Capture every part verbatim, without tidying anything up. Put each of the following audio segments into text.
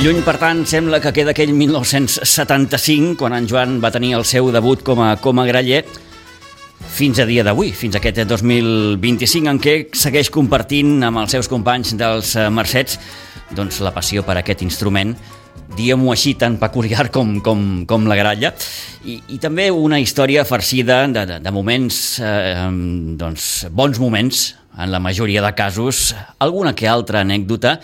Lluny, per tant, sembla que queda aquell mil nou-cents setanta-cinc, quan en Joan va tenir el seu debut com a, com a graller, fins a dia d'avui, fins a aquest dos mil vint-i-cinc, en què segueix compartint amb els seus companys dels Mercets doncs, la passió per aquest instrument, diguem-ho així, tan peculiar com, com, com la gralla, i, i també una història farcida de, de, de moments, eh, doncs, bons moments, en la majoria de casos, alguna que altra anècdota,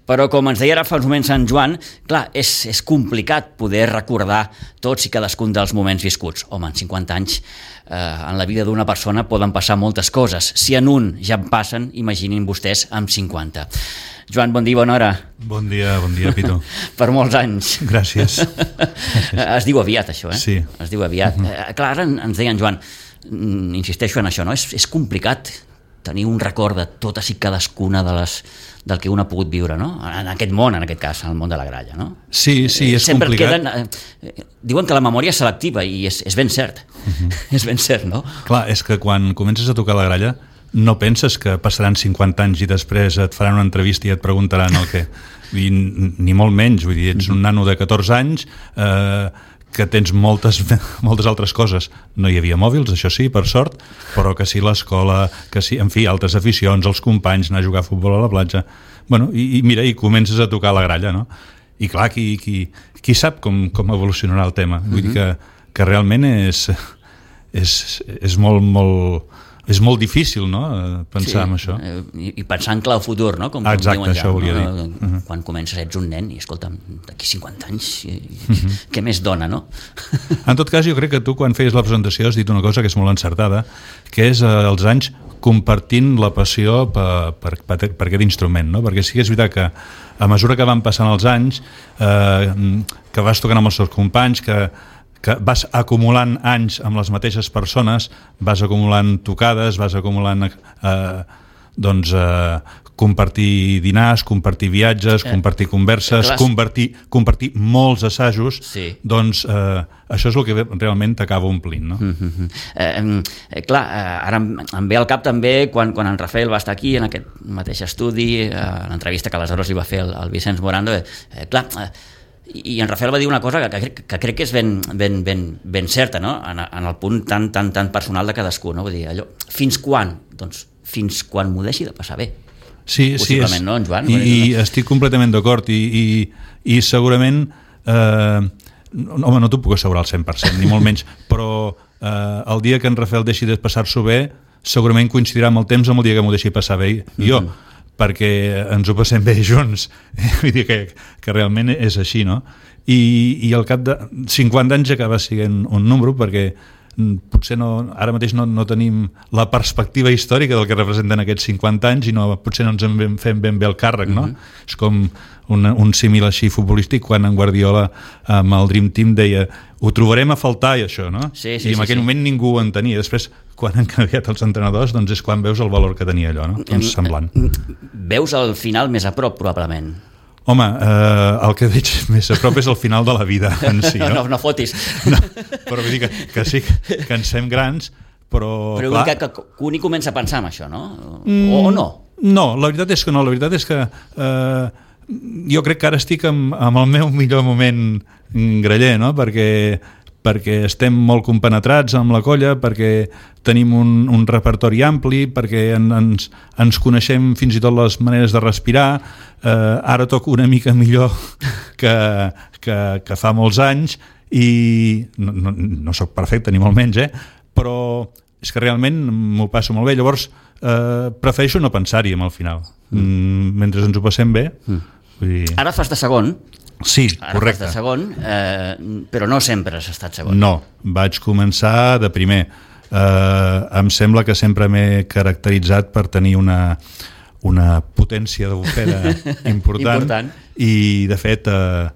però com ens deia ara fa uns moments en Joan, clar, és, és complicat poder recordar tots i cadascun dels moments viscuts. Home, en cinquanta anys, eh, en la vida d'una persona poden passar moltes coses. Si en un ja en passen, imaginin vostès amb cinquanta. Joan, bon dia, bona hora. Bon dia, bon dia, Pitu. Per molts anys. Gràcies. Es diu aviat, això, eh? Sí. Es diu aviat. Uh-huh. Eh, clar, ara ens deia en Joan, insisteixo en això, no? És, és complicat tenir un record de totes i cadascuna de les del que un ha pogut viure, no? En aquest món, en aquest cas, en el món de la gralla, no? Sí, sí, és Sempre complicat. Queden, eh, diuen que la memòria és selectiva i és, és ben cert. Uh-huh. És ben cert, no? Clar, és que quan comences a tocar la gralla no penses que passaran cinquanta anys i després et faran una entrevista i et preguntaran el què. I, ni molt menys, vull dir, ets un nano de catorze anys eh, que tens moltes, moltes altres coses. No hi havia mòbils, això sí, per sort, però que sí l'escola, que sí, en fi, altres aficions, els companys, anar a jugar a futbol a la platja. Bueno, i, i mira, i comences a tocar la gralla, no? I clar, qui, qui, qui sap com, com evolucionarà el tema? Vull uh-huh. dir que, que realment és, és, és molt, molt... És molt difícil, no?, pensar sí, en això. I, i pensar en clau futur, no?, com, Exacte, com diuen això ja. Volia no? dir. Uh-huh. Quan comences ets un nen i, escolta'm, d'aquí cinquanta anys, uh-huh. què més dona, no? En tot cas, jo crec que tu, quan feies la presentació, has dit una cosa que és molt encertada, que és eh, els anys compartint la passió per, per, per, per aquest instrument, no? Perquè sí que és veritat que a mesura que van passant els anys, eh, que vas tocant amb els teus companys, que que vas acumulant anys amb les mateixes persones, vas acumulant tocades, vas acumulant eh, doncs, eh, compartir dinars, compartir viatges, eh, compartir converses, eh, compartir, compartir molts assajos, sí. Doncs eh, això és el que realment t'acaba omplint, no? Mm-hmm. eh, eh, clar, eh, ara em, em ve al cap també quan, quan en Rafael va estar aquí en aquest mateix estudi, eh, l'entrevista que aleshores li va fer el, el Vicenç Morando, eh, clar, eh, i en Rafael va dir una cosa que, que, que crec que és ben, ben, ben, ben certa, no? en, en el punt tan, tan, tan personal de cadascú, no? Vull dir, allò, fins quan? Doncs fins quan m'ho deixi de passar bé. Sí, sí, és, no, en Joan? I, i estic completament d'acord i, i, i segurament eh, home, no t'ho puc assegurar al cent per cent, ni molt menys, però eh, el dia que en Rafael deixi de passar-s'ho bé segurament coincidirà amb el temps amb el dia que m'ho deixi passar bé i jo, mm-hmm. perquè ens ho passem bé junts, vull dir que, que realment és així, no? I, i al cap de cinquanta anys acaba sent un número, perquè potser no, ara mateix no, no tenim la perspectiva històrica del que representen aquests cinquanta anys i no, potser no ens en fem ben bé el càrrec, no? Mm-hmm. És com un, un símil així futbolístic quan en Guardiola amb el Dream Team deia ho trobarem a faltar i això, no? Sí, sí, I en sí, aquell sí. moment ningú ho entenia. Després, quan han canviat els entrenadors, doncs és quan veus el valor que tenia allò, no? Doncs semblant. Veus el final més a prop, probablement. Home, eh, el que veig més a prop és el final de la vida en si, no? No, no fotis. No, però vull dir que, que sí que ens fem grans, però... Però clar, que, que, que un hi comença a pensar en això, no? O, o no? No, la veritat és que no. La veritat és que eh, jo crec que ara estic amb, amb el meu millor moment graller, no? Perquè perquè estem molt compenetrats amb la colla, perquè tenim un, un repertori ampli, perquè en, ens, ens coneixem fins i tot les maneres de respirar. Eh, ara toco una mica millor que, que, que fa molts anys i no, no, no soc perfecte ni molt menys, eh? Però és que realment m'ho passo molt bé. Llavors eh, prefereixo no pensar-hi amb el final. Mm, mentre ens ho passem bé. Mm. Vull dir... Ara fas de segon. Sí, Ara correcte. Ara fas de segon, eh, però no sempre has estat segon. No, vaig començar de primer. Eh, em sembla que sempre m'he caracteritzat per tenir una, una potència de bufera important, important. I de fet eh,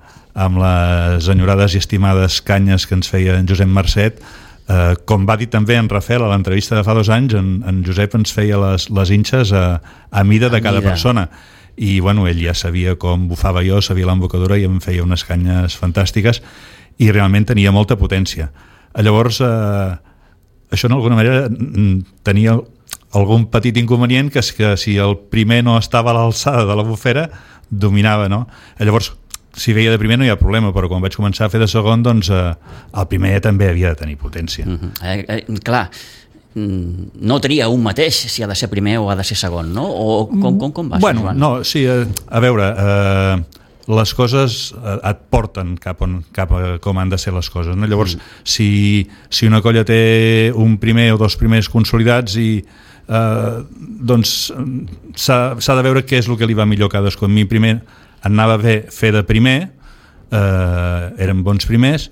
amb les enyorades i estimades canyes que ens feia en Josep Marcet, eh, com va dir també en Rafael a l'entrevista de fa dos anys, en, en Josep ens feia les, les inxes a, a mida de a cada mida. persona. I bueno, ell ja sabia com bufava jo, sabia l'embocadura i em feia unes canyes fantàstiques i realment tenia molta potència. Llavors, eh, això d'alguna manera tenia algun petit inconvenient, que és que si el primer no estava a l'alçada de la bufera, dominava, no? Llavors, si veia de primer no hi ha problema, però quan vaig començar a fer de segon, doncs eh, el primer també havia de tenir potència. Uh-huh. eh, eh, clar, no tria un mateix si ha de ser primer o ha de ser segon, no? O com, com, com va, bueno, Joan? No, sí, a, a veure, eh, les coses et porten cap, on, cap a com han de ser les coses, no? Llavors, mm. si, si una colla té un primer o dos primers consolidats i eh, doncs s'ha de veure què és el que li va millor a cadascú. A mi primer anava bé fer de primer, eh, eren bons primers,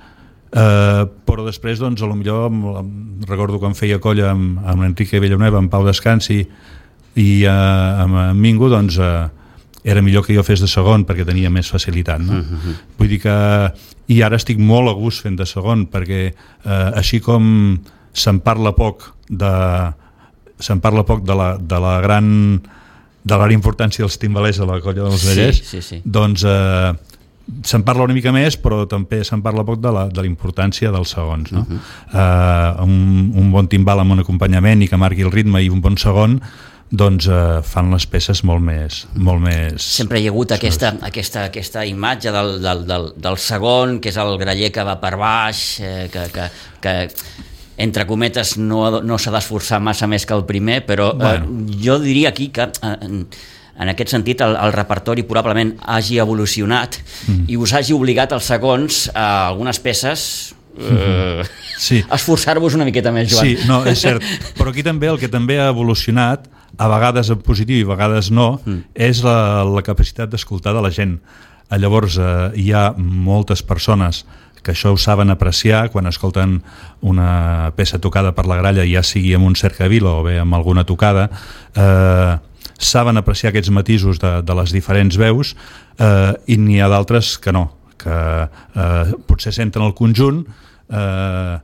eh, però després doncs a lo millor recordo quan feia colla amb, amb Enrique Villanueva, amb Pau Descansi i eh, amb, amb Mingo, doncs eh, era millor que jo fes de segon perquè tenia més facilitat, no? Uh-huh. Vull dir que i ara estic molt a gust fent de segon perquè eh, així com se'n parla poc de se'n parla poc de la, de la gran de la importància dels timbalers a la colla dels Vallès, sí, sí, sí. doncs eh, se'n parla una mica més, però també se'n parla poc de la, de la importància dels segons, no? Uh-huh. eh, un, un bon timbal amb un acompanyament i que marqui el ritme i un bon segon doncs eh, fan les peces molt més, molt més... Sempre hi ha hagut aquesta, aquesta, aquesta imatge del, del, del, del segon, que és el graller que va per baix, eh, que, que, que entre cometes no, no s'ha d'esforçar massa més que el primer, però bueno. eh, jo diria aquí que eh, en, en aquest sentit el, el repertori probablement hagi evolucionat mm. i us hagi obligat als segons a algunes peces eh, sí. esforçar-vos una miqueta més, Joan. Sí, no, és cert, però aquí també el que també ha evolucionat, a vegades en positiu i a vegades no, mm. és la, la capacitat d'escoltar de la gent. Llavors eh, hi ha moltes persones que això ho saben apreciar quan escolten una peça tocada per la gralla, ja sigui amb un cercavila o bé amb alguna tocada, eh, saben apreciar aquests matisos de, de les diferents veus, eh, i n'hi ha d'altres que no, que eh, potser senten el conjunt, eh,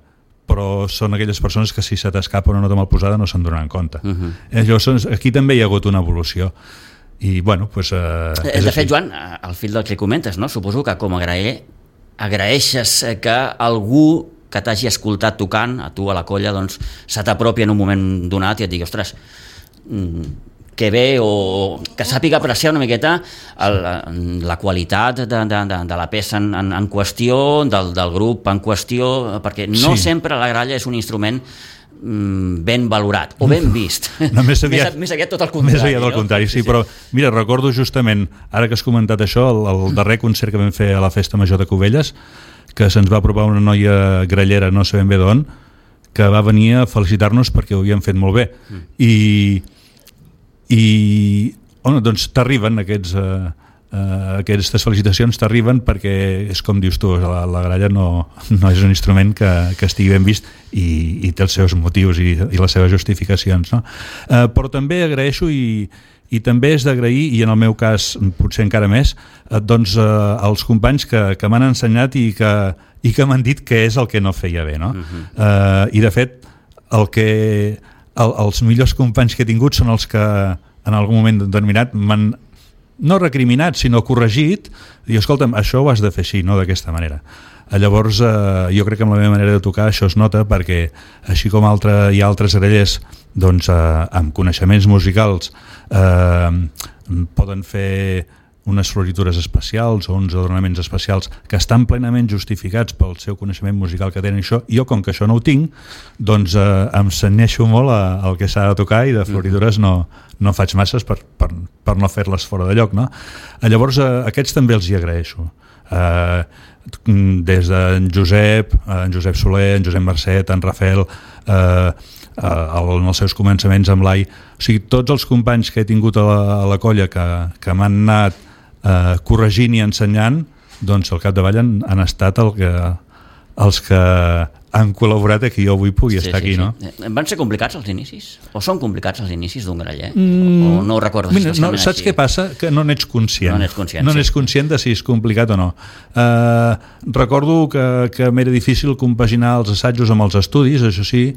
però són aquelles persones que si se t'escapa una nota mal posada no se'n donen compte. Uh-huh. eh, llavors, aquí també hi ha hagut una evolució. I, bueno, pues, eh, de fet, Joan, al fil del que comentes, no? Suposo que com a graller agraeixes que algú que t'hagi escoltat tocant, a tu, a la colla, doncs se t'apropi en un moment donat i et digui, ostres, que bé, o que sàpiga apreciar una miqueta el, la qualitat de, de, de, de la peça en, en, en qüestió, del, del grup en qüestió, perquè no sí. sempre la gralla és un instrument ben valorat o ben vist. No, més, aviat, més, més aviat tot el contrari. Més aviat del contrari, no? sí, sí, però mira, recordo justament, ara que has comentat això, el, el darrer concert que vam fer a la Festa Major de Cubelles, que se'ns va apropar una noia grallera, no sabem bé d'on, que va venir a felicitar-nos perquè ho havíem fet molt bé. Mm. I, i bueno, doncs t'arriben aquests... Eh, Uh, aquestes felicitacions t'arriben perquè és com dius tu, la, la gralla no, no és un instrument que, que estigui ben vist i, i té els seus motius i, i les seves justificacions, no? Uh, però també agraeixo i, i també és d'agrair, i en el meu cas potser encara més, uh, doncs uh, els companys que, que m'han ensenyat i que, i que m'han dit què és el que no feia bé, no? Uh-huh. uh, i de fet el que, el, els millors companys que he tingut són els que en algun moment determinat m'han no recriminat, sinó corregit, i escolta'm, això ho has de fer així, no d'aquesta manera. Llavors, eh, jo crec que amb la meva manera de tocar això es nota perquè, així com altre, hi ha altres grallers doncs, eh, amb coneixements musicals eh, poden fer unes floritures especials o uns adornaments especials que estan plenament justificats pel seu coneixement musical que tenen això, jo com que això no ho tinc, doncs eh, em cenyeixo molt al que s'ha de tocar i de floritures no, no faig masses per, per, per no fer-les fora de lloc, no? Llavors eh, aquests també els hi agraeixo. Eh, des d'en Josep, en Josep Soler, en Josep Mercet, en Rafael, eh, en els seus començaments amb l'Ai, o sigui, tots els companys que he tingut a la, a la colla que, que m'han anat eh, corregint i ensenyant, doncs al capdavall han, han estat el que, els que han col·laborat a que jo avui pugui sí, estar aquí, sí, no? Sí. Van ser complicats els inicis? O són complicats els inicis d'un graller? Mm, o no ho recordes? Mira, no, saps així? Què passa? Que no n'ets conscient. No n'ets conscient, no sí. n'ets conscient de si és complicat o no. Uh, recordo que, que m'era difícil compaginar els assajos amb els estudis, això sí,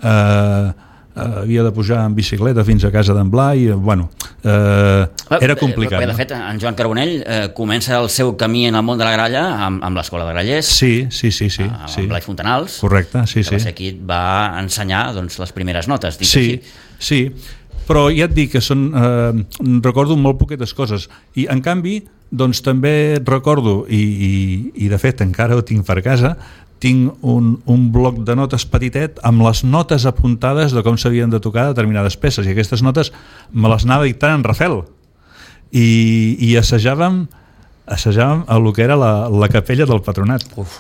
uh, Uh, havia de pujar en bicicleta fins a casa d'en Blai, bueno, uh, era complicat. Perquè, de fet, en Joan Carbonell uh, comença el seu camí en el món de la gralla amb, amb l'escola de grallers. Sí, sí, sí. sí, amb sí. Blai Fontanals. Correcte, sí, que sí. va ser qui et va ensenyar doncs, les primeres notes. Dit sí, així. sí, però ja et dic que són, eh, recordo molt poquetes coses, i en canvi doncs també recordo, i, i, i de fet encara ho tinc per casa, tinc un, un bloc de notes petitet amb les notes apuntades de com s'havien de tocar determinades peces, i aquestes notes me les anava dictant en Rafel, i, i assajàvem assajàvem a lo que era la, la capella del Patronat. Uf.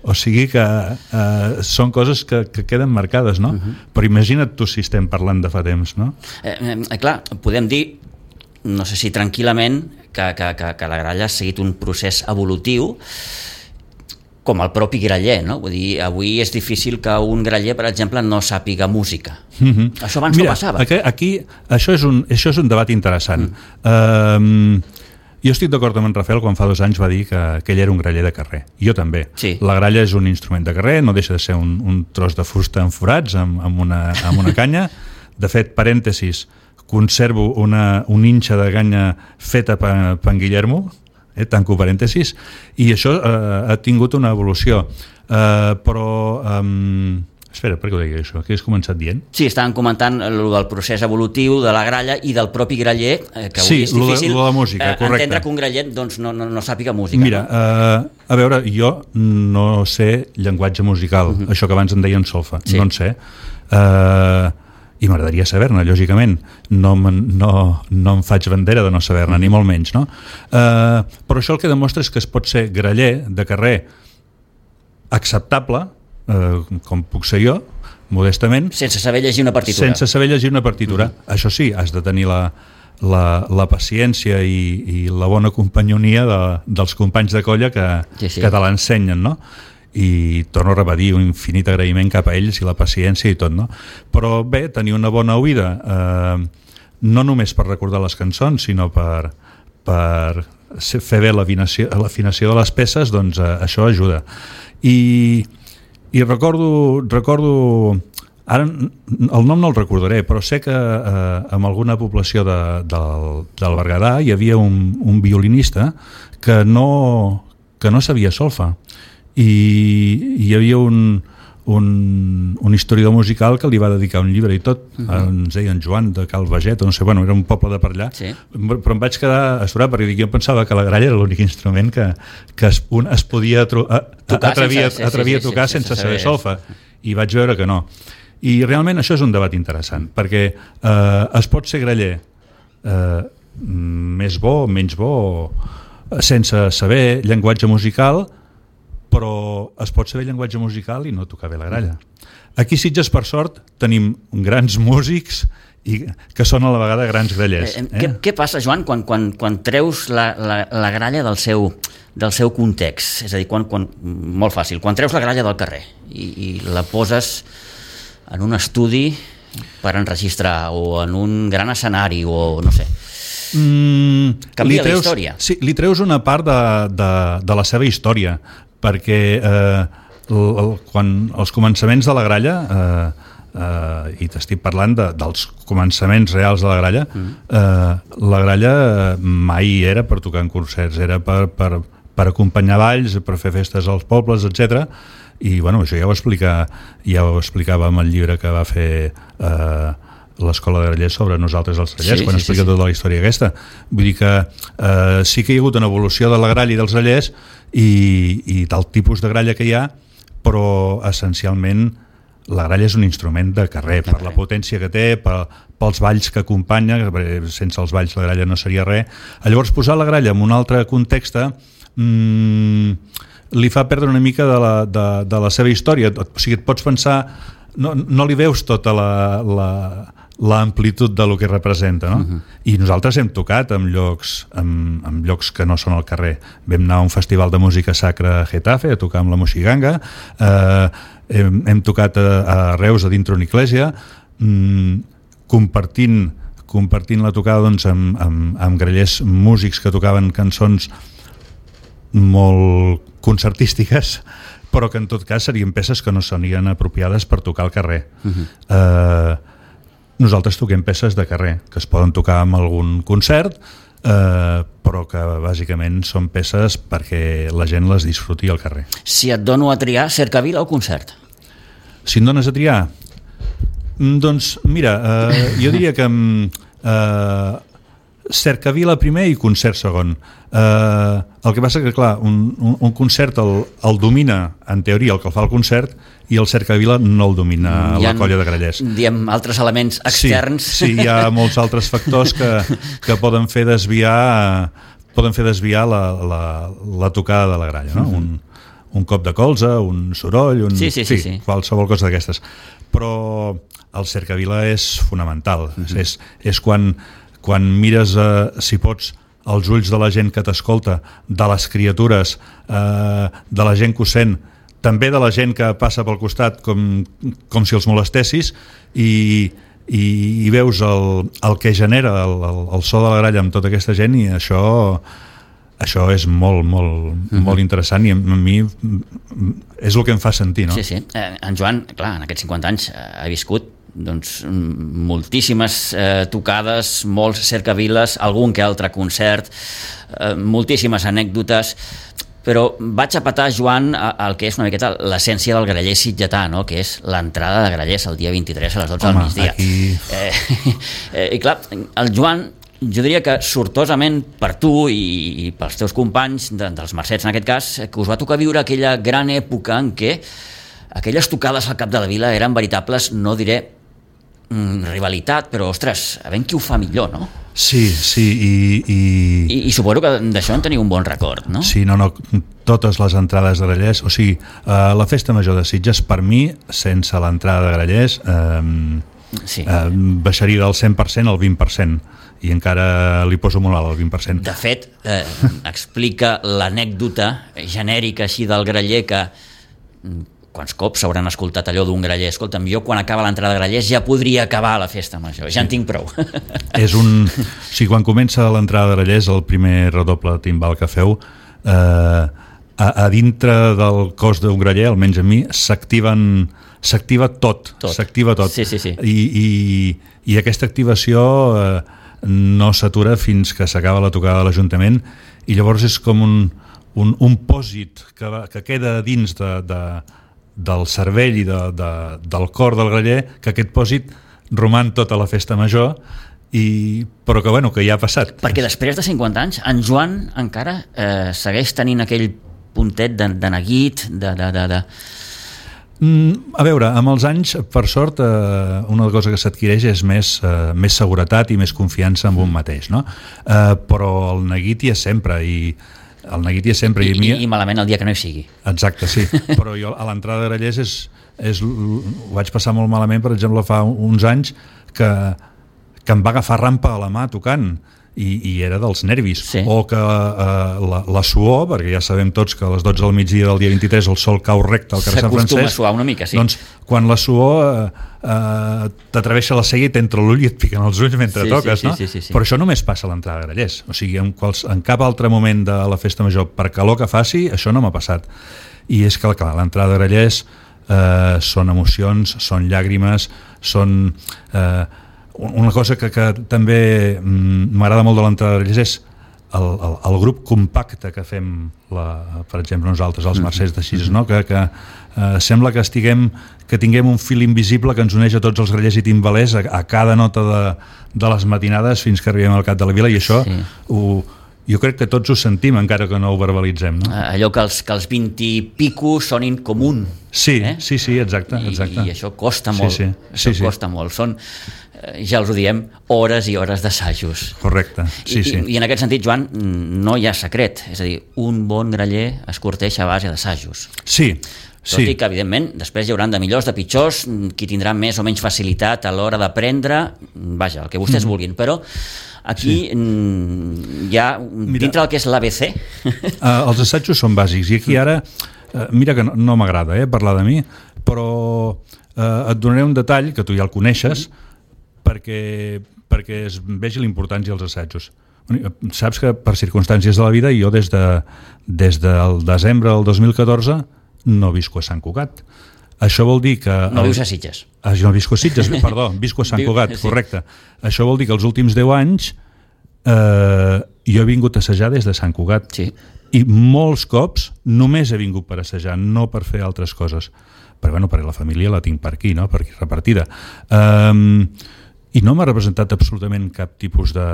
O sigui que eh, són coses que, que queden marcades, no? Uh-huh. Però imagina't tu si estem parlant de fa temps, no? Eh, eh, clar, podem dir, no sé si tranquil·lament, que, que, que, que la gralla ha seguit un procés evolutiu com el propi graller, no? Vull dir, avui és difícil que un graller, per exemple, no sàpiga música. Uh-huh. Això abans Mira, no passava. Aquí, aquí això, és un, això és un debat interessant. Mm. Uh, Jo estic d'acord amb en Rafel quan fa dos anys va dir que, que ell era un graller de carrer. Jo també. Sí. La gralla és un instrument de carrer, no deixa de ser un, un tros de fusta amb forats, amb, amb, una, amb una canya. De fet, parèntesis, conservo una, un inxa de canya feta per, per en Guillermo, eh, tanco parèntesis, i això eh, ha tingut una evolució. Eh, però... Eh, Espera, per què ho deia això? Què has començat dient? Sí, estàvem comentant el del procés evolutiu de la gralla i del propi graller, que sí, avui és difícil lo de, lo de música, eh, entendre que un graller doncs, no, no, no sàpiga música. Mira, no? eh, a veure, jo no sé llenguatge musical, uh-huh. això que abans en deien solfa, sí. no en sé. Eh, I m'agradaria saber-ne, lògicament. No, no, no em faig bandera de no saber-ne, uh-huh. ni molt menys, no? Eh, però això el que demostra és que es pot ser graller de carrer acceptable, Uh, com puc ser jo, modestament, sense saber llegir una partitura, sense saber llegir una partitura. Mm-hmm. Això sí, has de tenir la, la, la paciència i, i la bona companyonia de, dels companys de colla que, sí, sí. que te l'ensenyen, no? I torno a repetir un infinit agraïment cap a ells i la paciència i tot, no? Però bé, tenir una bona oïda, eh, no només per recordar les cançons, sinó per, per fer bé l'afinació, l'afinació de les peces, doncs eh, això ajuda. I I recordo, recordo ara el nom no el recordaré, però sé que eh, en alguna població de, del, del Berguedà hi havia un, un violinista que no, que no sabia solfa, i hi havia un, un, un historiador musical que li va dedicar un llibre i tot, uh-huh. ens deien Joan de Cal Baget, no sé, bueno, era un poble de per allà, sí. però em vaig quedar astorat perquè jo pensava que la gralla era l'únic instrument que, que es, un, es podia tro- a, tocar atrevir, sense, atrevir sí, sí, a tocar sí, sense, sense saber solfa, i vaig veure que no. I realment això és un debat interessant, perquè eh, es pot ser graller eh, més bo, menys bo, sense saber llenguatge musical, però es pot saber llenguatge musical i no tocar bé la gralla. Aquí a Sitges, per sort, tenim grans músics i que són a la vegada grans grallers. Eh? Què, què passa, Joan, quan, quan, quan treus la, la, la gralla del seu, del seu context? És a dir, quan, quan, molt fàcil, quan treus la gralla del carrer i, i la poses en un estudi per enregistrar o en un gran escenari o no sé... Mm, canvia treus, la història. Sí, li treus una part de, de, de la seva història, perquè eh, el, el, quan els començaments de la gralla, eh, eh, i t'estic parlant de, dels començaments reals de la gralla, mm. eh, la gralla mai era per tocar en concerts, era per, per, per acompanyar balls, per fer festes als pobles, etcètera. I bueno, això ja ho, explica, ja ho explicava amb el llibre que va fer eh, l'Escola de Grallers sobre nosaltres els grallers, sí, quan sí, explica sí, sí. tota la història aquesta. Vull dir que eh, sí que hi ha hagut una evolució de la gralla i dels grallers i, i del tipus de gralla que hi ha, però essencialment la gralla és un instrument de carrer, per la potència que té, per, pels balls que acompanya, sense els balls la gralla no seria res. Llavors posar la gralla en un altre context mmm, li fa perdre una mica de la, de, de la seva història. O sigui, et pots pensar, no, no li veus tota la... la l'amplitud de lo que representa, no? Uh-huh. I nosaltres hem tocat en llocs, en, en llocs que no són al carrer. Vam anar a un festival de música sacra a Getafe a tocar amb la Moixiganga, eh, hem, hem tocat a, a Reus a dintre una església, mm, compartint, compartint la tocada doncs, amb, amb, amb grallers músics que tocaven cançons molt concertístiques, però que en tot cas serien peces que no serien apropiades per tocar al carrer. Uh-huh. Eh, Nosaltres toquem peces de carrer, que es poden tocar en algun concert, eh, però que bàsicament són peces perquè la gent les disfruti al carrer. Si et dono a triar, cercavila o concert? Si em dones a triar? Doncs mira, eh, jo diria que eh, cercavila primer i concert segon. Eh, el que passa que, clar, un, un, un concert el, el domina, en teoria, el que el fa el concert, i el cercavila no el domina la colla de grallers. Diem altres elements externs. Sí, sí, hi ha molts altres factors que, que poden fer desviar poden fer desviar la, la, la tocada de la gralla, no? Mm-hmm. un, un cop de colze, un soroll, un, sí, sí, sí, sí. qualsevol cosa d'aquestes. Però el cercavila és fonamental. Mm-hmm. És, és quan, quan mires, eh, si pots, els ulls de la gent que t'escolta, de les criatures, eh, de la gent que ho sent, també de la gent que passa pel costat com, com si els molestessis, i, i, i veus el, el que genera el, el, el so de la gralla amb tota aquesta gent, i això, això és molt, molt, mm-hmm. molt interessant, i a mi és el que em fa sentir, no? Sí, sí. Eh, en Joan, clar, en aquests cinquanta anys eh, ha viscut doncs, moltíssimes eh, tocades, molts cercaviles, algun que altre concert, eh, moltíssimes anècdotes, però vaig a petar, Joan, el que és una miqueta l'essència del graller sitgetà, no? Que és l'entrada de grallers el dia vint-i-tres a les dotze Home, del migdia. Aquí... Eh, eh, I clar, el Joan, jo diria que sortosament per tu i, i pels teus companys, de, dels Mercets en aquest cas, que us va tocar viure aquella gran època en què aquelles tocades al cap de la vila eren veritables, no diré mm, rivalitat, però, ostres, a veure qui ho fa millor, no? Sí, sí, i... I, I, i suposo que d'això en teniu un bon record, no? Sí, no, no, totes les entrades de grallers, o sigui, eh, la festa major de Sitges, per mi, sense l'entrada de grallers, eh, sí. eh, baixaria del cent per cent al vint per cent, i encara li poso molt alt al vint per cent. De fet, eh, explica l'anècdota genèrica així del graller que... quants cops hauran escoltat allò d'un graller? Escolta'm, jo quan acaba l'entrada de grallers ja podria acabar la festa major, ja en tinc prou. És un... O sigui, quan comença l'entrada de grallers, el primer redoble timbal que feu, eh, a, a dintre del cos d'un graller, almenys a mi, s'activen s'activa tot, tot. s'activa tot. Sí, sí, sí. I, i, i aquesta activació eh, no s'atura fins que s'acaba la tocada de l'Ajuntament, i llavors és com un, un, un pòsit que, va, que queda dins de... de del cervell i de, de, del cor del graller, que aquest pòsit roman tota la festa major, i, però que, bueno, que ja ha passat. Perquè després de cinquanta anys, en Joan encara eh, segueix tenint aquell puntet de, de neguit, de... de, de, de... Mm, a veure, amb els anys, per sort, eh, una cosa que s'adquireix és més, eh, més seguretat i més confiança en un mateix, no? Eh, però el neguit hi és sempre, i el neguit hi és sempre. I, I, mi... i malament el dia que no hi sigui. Exacte, sí. Però jo a l'entrada de grallers és, és, ho vaig passar molt malament, per exemple, fa uns anys que, que em va agafar rampa a la mà tocant, i, i era dels nervis. Sí. O que eh, la, la suor, perquè ja sabem tots que a les dotze del migdia del dia vint-i-tres el sol cau recte al carrer Sant Francesc. S'acostuma a suar una mica, sí. Doncs quan la suor eh, eh, t'atreveixa la cella i t'entra l'ull i et piquen els ulls mentre sí, toques, sí, no? Sí, sí, sí, sí. Però això només passa a l'entrada de grallers. O sigui, en, quals, en cap altre moment de la festa major, per calor que faci, això no m'ha passat. I és que, clar, l'entrada de grallers eh, són emocions, són llàgrimes, són... Eh, una cosa que, que també m'agrada molt de l'entrada de grallers és el, el, el grup compacte que fem, la, per exemple, nosaltres, els Mercets de Sitges, no? que, que eh, sembla que estiguem que tinguem un fil invisible que ens uneix a tots els grallers i timbalers a, a cada nota de, de les matinades fins que arribem al cap de la vila, i això sí. ho, jo crec que tots ho sentim, encara que no ho verbalitzem, no? Allò que els, que els vint i pico sonin com un. Sí, eh? sí, sí, exacte, exacte. I, i això costa molt, sí, sí. això sí, costa sí. molt. Són, ja els ho diem, hores i hores d'assajos. Correcte, sí, I, sí. I, I en aquest sentit, Joan, no hi ha secret. És a dir, un bon graller es corteix a base d'assajos. Sí, Tot sí. i que, evidentment, després hi hauran de millors, de pitjors, qui tindrà més o menys facilitat a l'hora d'aprendre, vaja, el que vostès mm. vulguin, però aquí sí. hi ha, mira, dintre del que és l'A B C... Uh, els assajos són bàsics, i aquí ara, uh, mira que no, no m'agrada eh, parlar de mi, però uh, et donaré un detall, que tu ja el coneixes, mm. perquè, perquè es vegi la importància dels assajos. Saps que per circumstàncies de la vida, jo des, de, des del desembre del dos mil catorze no visco a Sant Cugat. Això vol dir que... No vius a Sitges. Ah, jo no visco a Sitges, perdó, visco a Sant Cugat, sí. Correcte. Això vol dir que els últims deu anys eh, jo he vingut a assajar des de Sant Cugat. Sí. I molts cops només he vingut per assajar, no per fer altres coses. Però bueno, perquè la família la tinc per aquí, no? Per aquí repartida. Um, I no m'ha representat absolutament cap tipus de,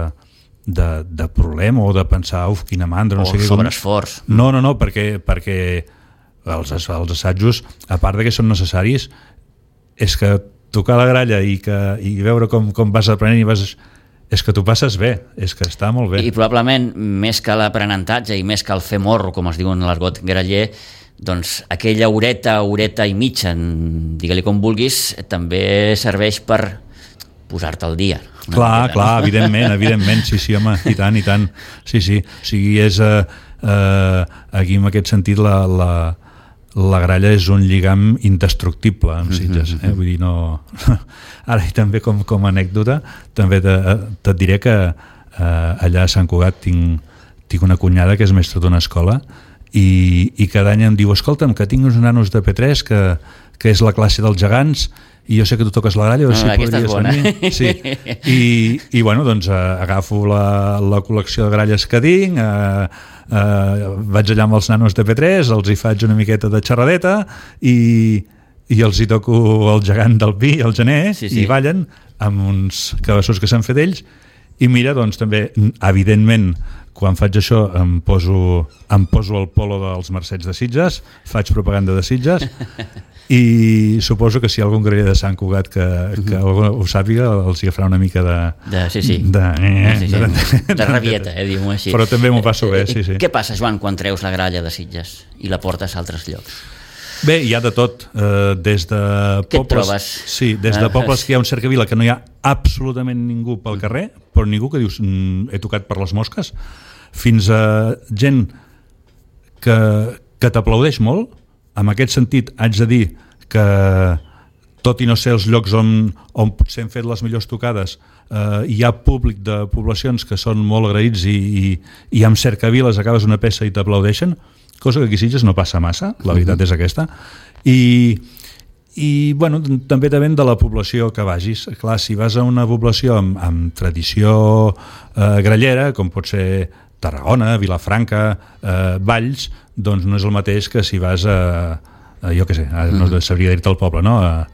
de, de problema o de pensar, uf, quina mandra, no o sé què. sobreesforç. No, no, no, perquè, perquè els, els assajos, a part de que són necessaris, és que tocar la gralla i, que, i veure com, com vas aprenent i vas... és que t'ho passes bé, és que està molt bé. I probablement, més que l'aprenentatge i més que el fer morro, com es diu en l'argot graller, doncs aquella horeta, horeta i mitja, digue-li com vulguis, també serveix per posar-te al dia. Clar, manera, clar, no? evidentment, evidentment, sí, sí, home, i tant, i tant. Sí, sí, o sigui, és eh, eh, aquí en aquest sentit la, la, la gralla és un lligam indestructible amb Sitges, eh? Vull dir, no... Ara, i també com, com a anècdota, també te, te diré que eh, allà a Sant Cugat tinc, tinc una cunyada que és mestra d'una escola i, i cada any em diu, escolta'm, que tinc uns nanos de P tres que, que és la classe dels gegants i jo sé que tu toques la gralla, o no, si podries venir. Sí. I, i bueno, doncs eh, agafo la, la col·lecció de gralles que tinc, eh, eh, vaig allà amb els nanos de P tres, els hi faig una miqueta de xerradeta i, i els hi toco el gegant del Pi, el gener, sí, sí. I ballen amb uns cabeços que s'han fet ells i mira, doncs també, evidentment, quan faig això em poso, em poso el polo dels Mercets de Sitges, faig propaganda de Sitges i suposo que si hi ha algun graller de Sant Cugat que, que algú ho sàpiga, els hi farà una mica de... de sí, sí. De, eh, sí, sí. de, de, de rabieta, eh, diguem-ho així. Però també m'ho passo bé, sí, sí. Què passa, Joan, quan treus la gralla de Sitges i la portes a altres llocs? Bé, hi ha de tot, eh, des de Què pobles... et trobes? Sí, des de pobles que hi ha un cercavila que no hi ha absolutament ningú pel carrer, però ningú que dius, mm, he tocat per les mosques, fins a gent que, que t'aplaudeix molt. En aquest sentit, haig de dir que, tot i no ser els llocs on, on potser hem fet les millors tocades, eh, hi ha públic de poblacions que són molt agraïts i, i, i amb cercaviles acabes una peça i t'aplaudeixen, cosa que aquí a Sitges no passa massa, la veritat és aquesta. I, i bueno, també depèn de la població que vagis. Clar, si vas a una població amb, amb tradició eh, grallera, com pot ser Tarragona, Vilafranca, eh, Valls, doncs no és el mateix que si vas a, a jo què sé, a, no sabria dir-te el poble, no? a,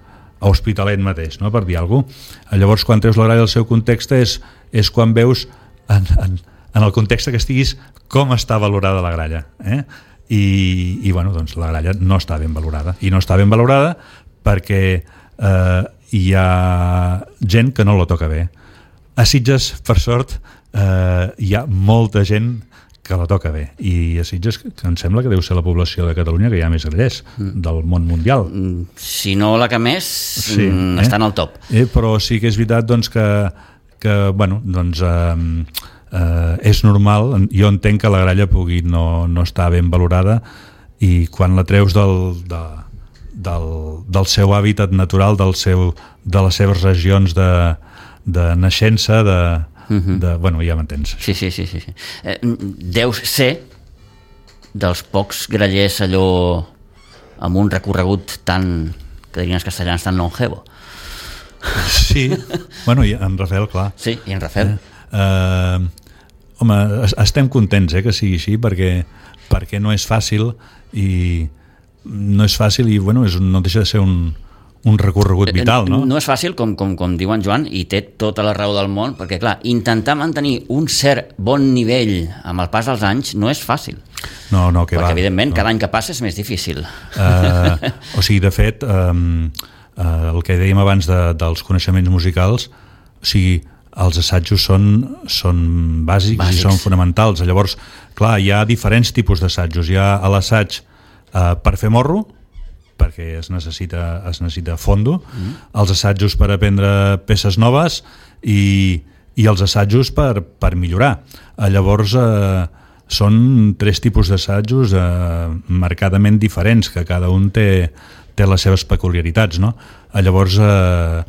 a Hospitalet mateix, no? Per dir alguna cosa. Llavors, quan treus la gralla del seu context és, és quan veus en, en, en el context que estiguis com està valorada la gralla, eh? I, i bueno, doncs la gralla no està ben valorada, i no està ben valorada perquè eh, hi ha gent que no la toca bé. A Sitges, per sort, eh, hi ha molta gent que la toca bé, i a Sitges que em sembla que deu ser la població de Catalunya que hi ha més grallers del món mundial. Si no la que més, sí, eh? Està en el top. Eh, però sí que és veritat doncs, que, que bueno, doncs, eh, eh, és normal, jo entenc que la gralla pugui no, no estar ben valorada, i quan la treus del, de, del, del seu hàbitat natural, del seu, de les seves regions de, de naixença, de De, bueno, ja m'entens. Sí, sí, sí, sí. Eh, deus ser dels pocs grallers allò amb un recorregut tan, que dirien els castellans, tan longevo. Sí, bueno, i en Rafael, clar. Sí, i en Rafael. Eh, eh, home, estem contents eh, que sigui així, perquè, perquè no és fàcil, i no és fàcil i bueno, és, no deixa de ser un un recorregut vital, no? No és fàcil, com, com, com diu en Joan, i té tota la raó del món, perquè, clar, intentar mantenir un cert bon nivell amb el pas dels anys no és fàcil. No, no, que perquè, va. evidentment, no. Cada any que passa és més difícil. Uh, o sigui, de fet, um, uh, el que dèiem abans de, dels coneixements musicals, o sigui, els assajos són, són bàsics, bàsics i són fonamentals. Llavors, clar, hi ha diferents tipus d'assajos. Hi ha l'assaig uh, per fer morro, perquè es necessita, es necessita fondo, mm. els assajos per aprendre peces noves i, i els assajos per, per millorar. Llavors, eh, són tres tipus d'assajos eh, marcadament diferents, que cada un té, té les seves peculiaritats, no? Llavors, eh,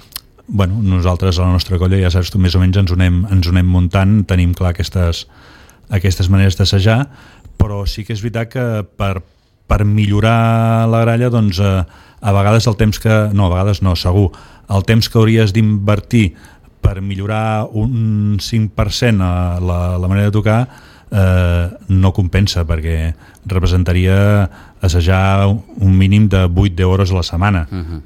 bueno, nosaltres a la nostra colla, ja saps tu, més o menys ens ho anem, ens ho anem muntant, tenim clar aquestes, aquestes maneres d'assajar, però sí que és veritat que per per millorar la gralla, doncs, eh, a vegades el temps que... No, a vegades no, segur. El temps que hauries d'invertir per millorar un cinc per cent a la, la manera de tocar eh, no compensa, perquè representaria assajar un mínim de vuit deu hores a la setmana. Uh-huh.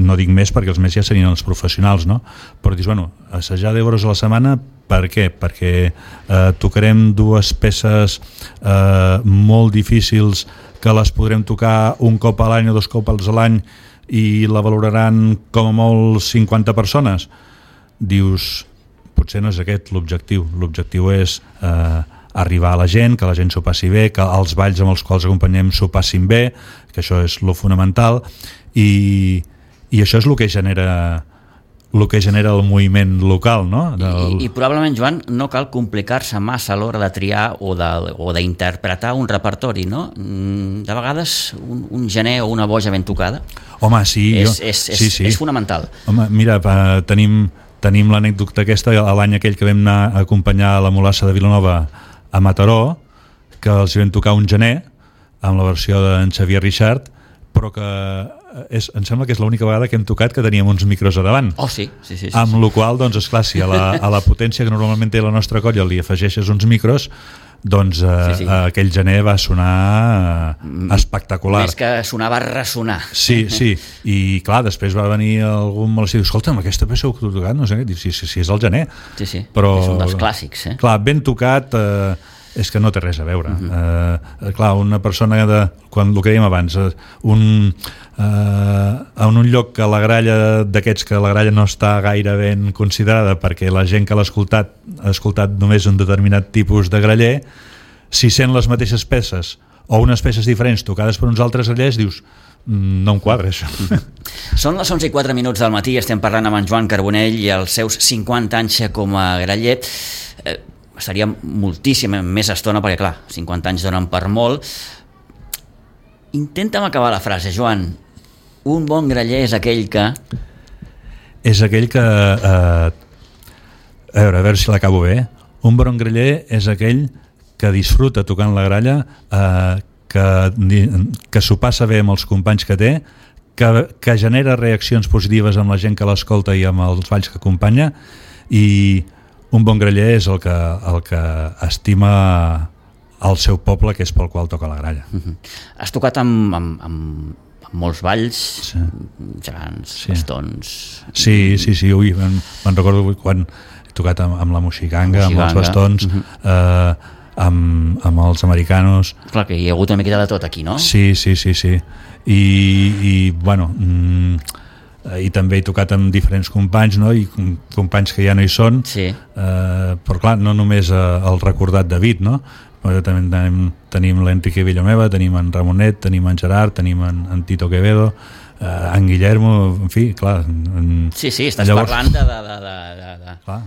No dic més perquè els més ja serien els professionals, no? Però dius, bueno, assajar deu hores a la setmana Per què? Perquè eh, tocarem dues peces eh, molt difícils que les podrem tocar un cop a l'any o dos cops a l'any i la valoraran com a molt cinquanta persones. Dius, potser no és aquest l'objectiu. L'objectiu és eh, arribar a la gent, que la gent s'ho passi bé, que els balls amb els quals acompanyem s'ho passin bé, que això és lo fonamental, i, i això és el que genera el que genera el moviment local, no? Del... I, I probablement, Joan, no cal complicar-se massa a l'hora de triar o de, o d'interpretar un repertori, no? De vegades un, un gener o una boja ben tocada Home, sí, és, jo... és, és, sí, sí. és fonamental. Home, mira, uh, tenim, tenim l'anècdota aquesta l'any aquell que vam anar a acompanyar la Mulassa de Vilanova a Mataró, que els vam tocar un gener amb la versió d'en Xavier Richard, però que és, em sembla que és l'única vegada que hem tocat que teníem uns micros a davant. Oh, sí, sí, sí. sí amb sí. la qual cosa, doncs, esclar, si a la, a la potència que normalment té la nostra colla li afegeixes uns micros, doncs eh, sí, sí. aquell gener va sonar eh, espectacular. Més que sonar va ressonar. Sí, sí, i clar, després va venir algun malestar i diu, escolta'm, aquesta peça que heu tocat, no sé què, diu, sí, sí, sí, és el gener. Sí, sí, però, és un dels clàssics. Eh? Clar, ben tocat... Eh, és que no té res a veure. Uh-huh. eh, clar, una persona de, quan el que dèiem abans, eh, un, eh, en un lloc que la gralla d'aquests que la gralla no està gaire ben considerada perquè la gent que l'ha escoltat ha escoltat només un determinat tipus de graller, si sent les mateixes peces o unes peces diferents tocades per uns altres grallers, dius, no em quadra això. Són les onze i quatre minuts del matí, estem parlant amb en Joan Carbonell i els seus cinquanta anys com a graller. Eh, estaria moltíssima més estona perquè clar, cinquanta anys donen per molt. Intenta'm acabar la frase, Joan. Un bon graller és aquell que... És aquell que eh, a veure, a veure si l'acabo bé. Un bon graller és aquell que disfruta tocant la gralla, eh, que, que s'ho passa bé amb els companys que té, que, que genera reaccions positives amb la gent que l'escolta i amb els balls que acompanya, i un bon graller és el que, el que estima el seu poble, que és pel qual toca la gralla. Uh-huh. Has tocat amb, amb, amb, amb molts balls, sí. gegants, sí. bastons... Sí, sí, sí, ui, me'n, me'n recordo quan he tocat amb, amb la moxiganga, amb els bastons, uh-huh. eh, amb, amb els americanos... Clar que hi ha hagut una miqueta de tot aquí, no? Sí, sí, sí, sí. I, i bueno... Mm, i també he tocat amb diferents companys, no? I companys que ja no hi són, sí. eh, però clar, no només eh, el recordat David, no? Però també tenim, tenim l'Enrique Villameva, tenim en Ramonet, tenim en Gerard, tenim en, en Tito Quevedo, eh, en Guillermo, en fi, clar... En, sí, sí, estàs llavors... parlant de, de, de, de, de, clar,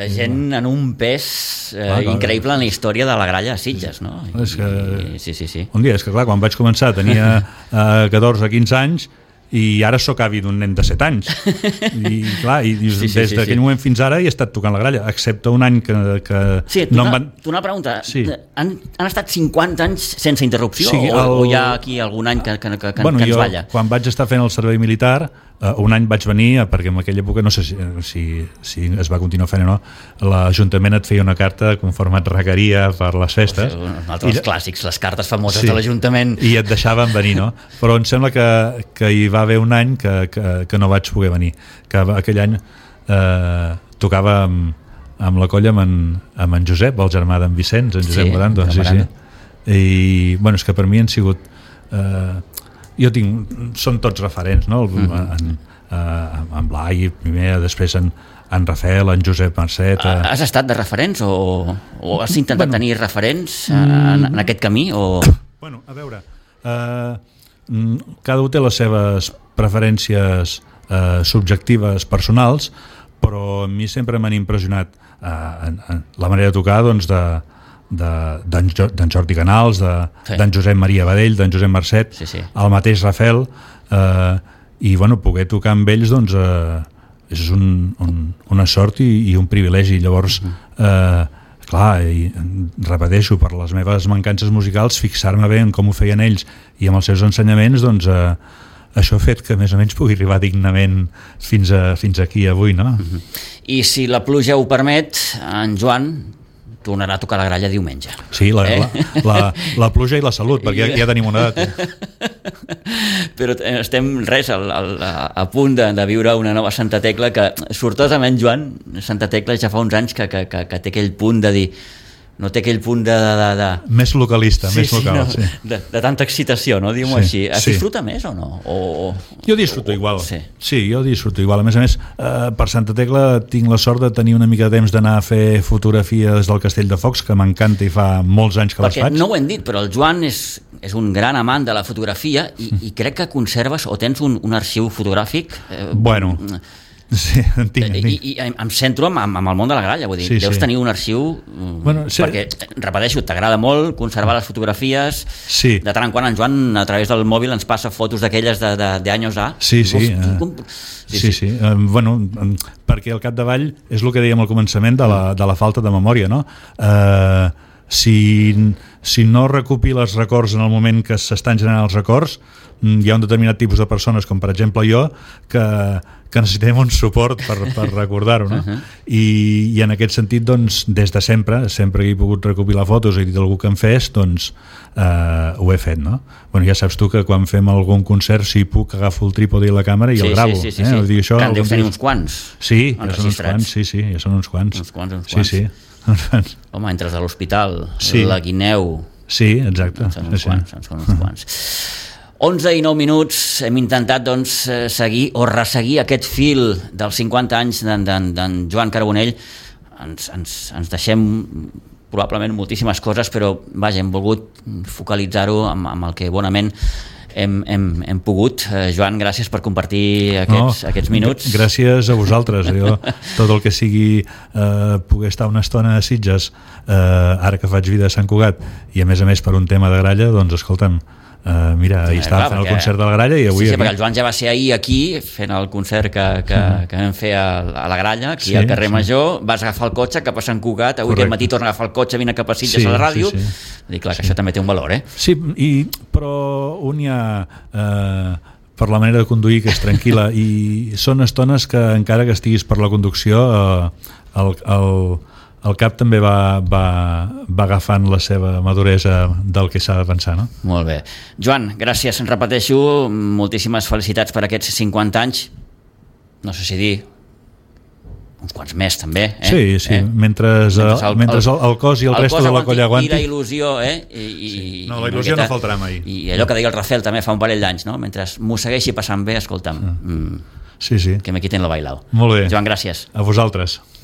de gent en un pes eh, clar, clar, increïble en la història de la gralla a Sitges, no? I, és que, i, sí, sí, sí. Un dia, és que clar, quan vaig començar tenia eh, catorze quinze anys, i ara sóc avi d'un nen de set anys i clar, i dius, sí, sí, des d'aquell sí, sí. moment fins ara he estat tocant la gralla, excepte un any que, que sí, tu no em van... Tu una pregunta, sí. han, han estat cinquanta anys sense interrupció, sí, el... o, o hi ha aquí algun any que, que, que, bueno, que ens jo, balla? Quan vaig estar fent el servei militar, uh, un any vaig venir, perquè en aquella època no sé si, si, si es va continuar fent o no, l'Ajuntament et feia una carta conforme et requeria per les festes, o sigui, un altre dels clàssics, les cartes famoses sí, de l'Ajuntament, i et deixaven venir, no? Però em sembla que, que hi va haver un any que, que, que no vaig poder venir, que aquell any eh, tocava amb, amb la colla amb en, amb en Josep, el germà d'en Vicenç, en Josep sí, Morando, sí, sí. I bueno, és que per mi han sigut eh, jo tinc, són tots referents, no? El, mm-hmm. en, eh, en Blai primer, després en, en Rafael, en Josep Marcet... Eh... Has estat de referents o, o has intentat bueno, tenir referents en, en aquest camí? O... Bueno, a veure, eh, cada un té les seves preferències eh, subjectives personals, però a mi sempre m'han impressionat eh, en, en la manera de tocar doncs, de, de, d'en, d'en Jordi Canals, de, sí. d'en Josep Maria Badell, d'en Josep Marcet, sí, sí. el mateix Rafael, eh, i bueno, poder tocar amb ells doncs, eh, és un, un, una sort i, i un privilegi. Llavors, eh, clar, i repeteixo, per les meves mancances musicals, fixar-me bé en com ho feien ells i amb els seus ensenyaments, doncs eh, això ha fet que més o menys pugui arribar dignament fins, a, fins aquí avui, no? I si la pluja ho permet, en Joan, tornarà a tocar la gralla diumenge. Sí, la, eh? la, la, la pluja i la salut, perquè ja, ja tenim una edat. Eh? Però estem, res, a, a, a punt de, de viure una nova Santa Tecla que, sortosament, Joan, Santa Tecla ja fa uns anys que, que, que, que té aquell punt de dir... No té aquell punt de... de, de... Més localista, sí, més local. Sí, no, sí. de, de tanta excitació, no? Diguem-ho sí, així. Es sí. disfruta més o no? O, jo disfruto o, igual. Sí. sí, jo disfruto igual. A més a més, eh, per Santa Tecla tinc la sort de tenir una mica de temps d'anar a fer fotografia des del Castell de Focs, que m'encanta i fa molts anys que Perquè les faig. no ho hem dit, però el Joan és, és un gran amant de la fotografia i, i crec que conserves o tens un, un arxiu fotogràfic... Eh, bueno... Sí, en tinc, en tinc. I, i em centro amb, amb el món de la gralla, vull dir, sí, deus sí. tenir un arxiu bueno, sí. perquè, repeteixo, t'agrada molt conservar les fotografies, sí. de tant en quant en Joan a través del mòbil ens passa fotos d'aquelles de, de, de anys A. Sí, sí. Hosti, com... sí, sí. sí, sí. Uh, bueno, perquè al capdavall és el que dèiem al començament de la, de la falta de memòria, no? Uh, si, si no recopiles records en el moment que s'estan generant els records, hi ha un determinat tipus de persones, com per exemple jo, que, que necessitem un suport per, per recordar-ho, no? Uh-huh. I, i en aquest sentit, doncs, des de sempre, sempre que he pogut recopilar fotos i he dit algú que em fes, doncs eh, ho he fet, no? Bueno, ja saps tu que quan fem algun concert, si puc, agafo el trípode i la càmera i sí, el gravo. Sí, sí, sí, eh? sí. Dir, això, que en deus tenir uns quants. Sí, ja són uns quants, sí, sí, ja són uns quants. Uns quants, uns quants. Sí, sí. Home, entres a l'hospital, sí. la guineu... Sí, exacte. Són uns sí, quants, sí. són uns quants. onze i nou minuts, hem intentat doncs, seguir o resseguir aquest fil dels cinquanta anys d'en Joan Carbonell. Ens, ens, ens deixem probablement moltíssimes coses, però vaja, hem volgut focalitzar-ho amb, amb el que bonament hem, hem, hem pogut. Eh, Joan, gràcies per compartir aquests, no, aquests minuts. Gràcies a vosaltres. Jo, tot el que sigui eh, poder estar una estona a Sitges, eh, ara que faig vida a Sant Cugat, i a més a més per un tema de gralla, doncs escolta'm, Uh, mira, ahir estava fent el concert de la gralla i avui... Sí, sí, aquí... perquè el Joan ja va ser ahir aquí fent el concert que, que, que vam fer a, a la gralla, aquí sí, al carrer sí. Major. Vas agafar el cotxe cap a Sant Cugat, avui aquest matí torna a agafar el cotxe, vine cap a Sitges sí, a la ràdio. Sí, sí. Dic, clar, que sí. Això també té un valor, eh? Sí, i, però un ja... Eh, per la manera de conduir, que és tranquil·la, i són estones que encara que estiguis per la conducció eh, el, el, el cap també va, va, va agafant la seva maduresa del que s'ha de pensar, no? Molt bé. Joan, gràcies, en repeteixo, moltíssimes felicitats per aquests cinquanta anys, no sé si dir uns quants més també, eh? Sí, sí, eh? mentre, mentre, el, mentre el, el cos i el, el resto de la colla aguanti. I la il·lusió, eh? I, i, sí, no, la il·lusió no faltarà mai. I allò que deia el Rafael també fa un parell d'anys, no? Mentre m'ho segueixi passant bé, escolta'm, sí, sí. que me quiten lo bailao. Molt bé. Joan, gràcies. A vosaltres.